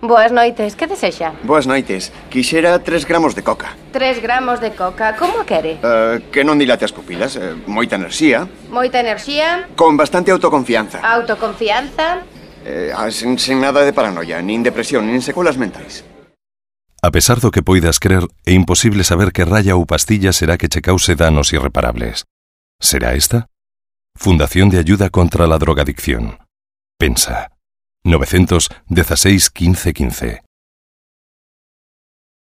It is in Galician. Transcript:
Boas noites, que desexa? Boas noites. Quixera 3 gramos de coca. 3 gramos de coca, como a quere? Que non dilate as pupilas. Moita enerxía. Moita enerxía. Con bastante autoconfianza. Autoconfianza. Sen nada de paranoia, nin depresión, nin secuelas mentais. A pesar do que poidas crer, é imposible saber que raya ou pastilla será que che cause danos irreparables. Será esta? Fundación de Ayuda contra la Drogadicción. Pensa. 916 15 15.